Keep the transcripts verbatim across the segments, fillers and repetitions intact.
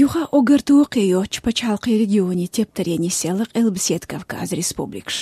Юха уггар токхе йоцчу пачхьалкхийн регионийн тептаре нисъелла Къилбаседа Кавказан республикаш.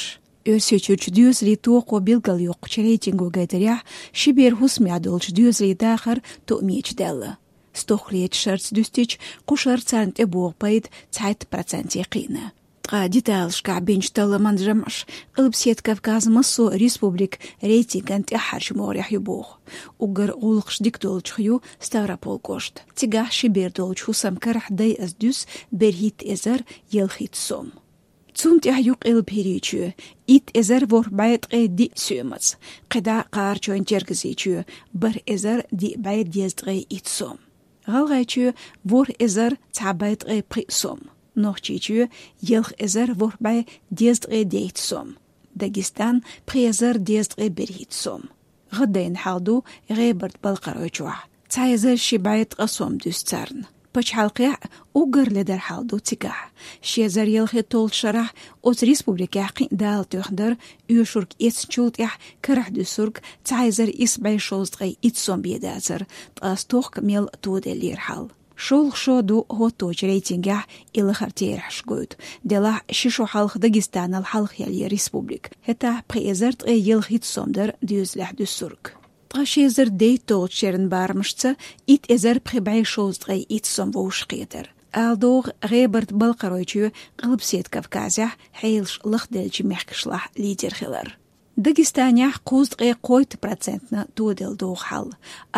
Оьрсийчуьрчу доьзалийн тохо билгалйоккхучу рейтинго гайтарехь, ши бер хӀусамехь долчу доьзалийн дахар тоъмечу даьлла. Стохкалечу шарца дуьстича, кху шарахь царна тӀебогӀу пайда цхьайтта проценте кхиъна. Ткъа деталашкахь бинчу талламан жамӀаш Къилбаседа Кавказан массо а республика рейтинган тӀаьххьарчу могӀарехь ю боху. Уггар гӀуллакхаш дика долчух ю Ставрополь кӀошт. Цигахь ши бер долчу хӀусаман карахь дайаза дуьсу берхӀитта эзар ялхитта сом. Цунна тӀехь ю Къилба ХӀирийчоь, итт эзар ворхӀ бӀе ткъе диъ соьмаца, кхидӀа Кхарачойн Тергазийчоь, бархӀ эзар диъ бӀе дезткъе итт сом. ГӀалгӀайчоь, ворхӀ эзар цхьа бӀе ткъе пхиъ сом. Нохчийчоь, ялх эзар ворхӀ бӀе дезткъе дейтта сом. Дагестан, пхи эзар дезткъе берхӀитта сом. ГӀаддайна хьал ду ГӀебарта-Балкхаройчохь. Цхьа эзар ши бӀе ткъа сом дуьсу царна. Пачхьалкхехь уггар ледара хьал ду цигахь. Ши эзар ялхитталгӀачу шарахь оцу республикехь кхин а дала тоьхна дара оьшург эцначул тӀаьхьа карахь дуьсург цхьа эзар исс бӀе шовзткъе итт сом бен дацара, ткъа стохка мел тоделлера хьал. ШолгӀа шо ду хӀотточу рейтингехь и лахара терахьаш гойту. Делахь ши шо хьалха Дагестанал хьалха яьлла республика. ХӀетахь пхи эзар ткъе ялхитта сом дара доьзалехь дуьсург. Ткъа ши эзар дейтталгӀачу шеран барамашца итт эзар пхи бӀе шовзткъе итт сом вовшахкхетара. Ала догӀу, ГӀебарта-Балкхаройчоь Къилбаседа Кавказехь хьелаш лахделлачу мехкашлахь лидер хилар. Дагестанехь кхузткъе кхойтта процентна тоделла догӀу хьал.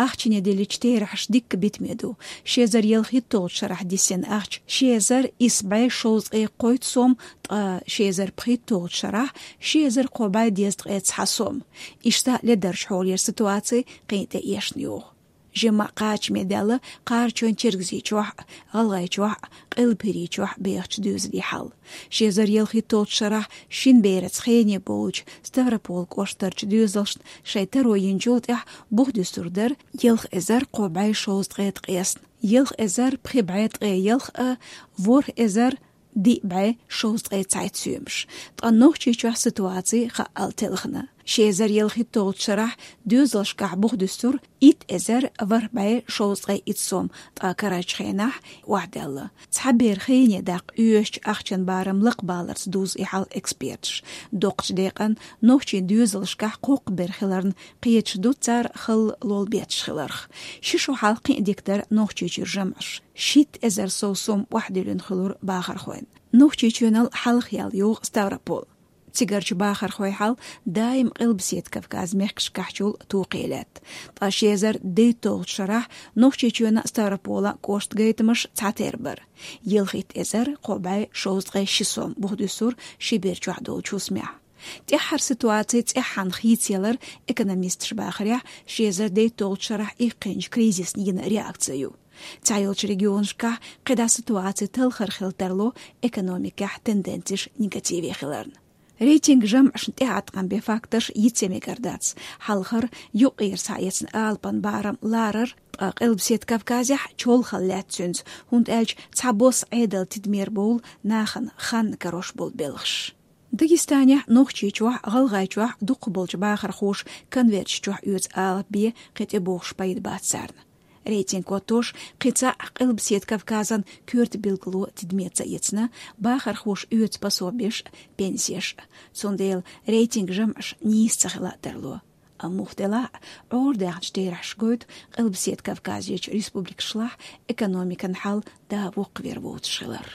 Ахчане диллича терахьаш дикка битаме ду. Ши эзар ялхитталгӀачу шарахь дисина ахча ши эзар исс бӀе шовзткъе кхойтта сом, ткъа ши эзар пхийтталгӀачу шарахь ши эзар кхо бӀе дезткъе цхьа сом. Иштта ледарчу хьолера ситуаци кхин а тӀеэшна йогӀу. Жимма кхачаме даьлла Кхарачойн Тергазийчохь а, ГӀалгӀайчохь а, Къилба ХӀирийчохь а бехачу доьзалийн хьал. Ши эзар ялхитталгӀачу шарахь шина бераца хене болчу Ставрополь кӀоштарчу доьзалшна шайн таро йинчул тӀаьхьа бух дуьсур дара ялх эзар кхо бӀе шовзткъе ткъесна, ялх эзар пхи бӀе ткъе ялх а, ворхӀ эзар диъ бӀе шовзткъе цхьайтта соьмаш. Ткъа Нохчийчохь ситуаци хаъал телхина. Ши эзар ялхитталгӀачу шарахь доьзалшкахь бух дуьсур итт эзар ворхӀ бӀе шовзткъе итт сом, ткъа карарчу хенахь охьадаьлла. Цхьа бер хене даккха оьшучу ахчан барам лакхабаларца дузу и хьал эксперташ. Доккхачу декъан нохчийн доьзалшкахь кхоккха бер хиларна кхеташ ду цара халла лол бетташ хиларх. Ши шо хьалха кхин а дика дара Нохчийчуьра жамӀаш. Шийтта эзар сов сом охьадиллина хуьлура бахархойн. Нохчийчоьнал хьалха яьлла йогӀу Ставрополь. Цигарчу бахархойн хьал даим Къилбаседа Кавказан мехкашкахьчул тохе лаьтта. Ткъа ши эзар дейтталгӀачу шарахь Нохчийчоьнан а, Ставрополан а кӀоштан гайтамаш цхьатерра бара. Ялхитта эзар кхо бӀе шовзткъе ши сом бух дуьсура ши бер чохь долчу хӀусамехь. ТӀаьххьара ситуаци цӀеххьана хийцаялар, экономисташа бахарехь, ши эзар дейтталгӀачу шарахь иккхинчу кризисна йина реакци ю. Цхьайолчу регионашкахь кхидӀа ситуаци талхар хила тарло экономикехь тенденцеш негативе хиларна. Рейтинг жамӀашна тӀеӀаткъам бен факторш йицъян мегар дац. Хьалхара юккъера схьаэцна алапан барам ларар, ткъа Къилбаседа Кавказехь чолхалла лаьтта цуьнца, хӀунда аьлча цхьабосса Ӏедалан тидамера бовлу нахана ханна карош болу белхаш. Дагестанехь, Нохчийчохь, ГӀалгӀайчохь дукхахболчу бахархоша конверташ чохь оьцу алапа бен кхин тӀебогӀуш пайда бац царна. Рейтинг хӀоттош кхин цхьаъ Къилбаседа Кавказан коьрта билгало тидаме ца эцна, бахархоша оьцу пособеш а, пенсеш а. Цундела рейтинг жамӀаш нийса ца хила а тарло. Амма муха делахь а, Ӏорадаьхначу терахьаша гойту Къилбаседа Кавказерчу республикашлахь экономикан хьал да воккхавер воцуш хилар.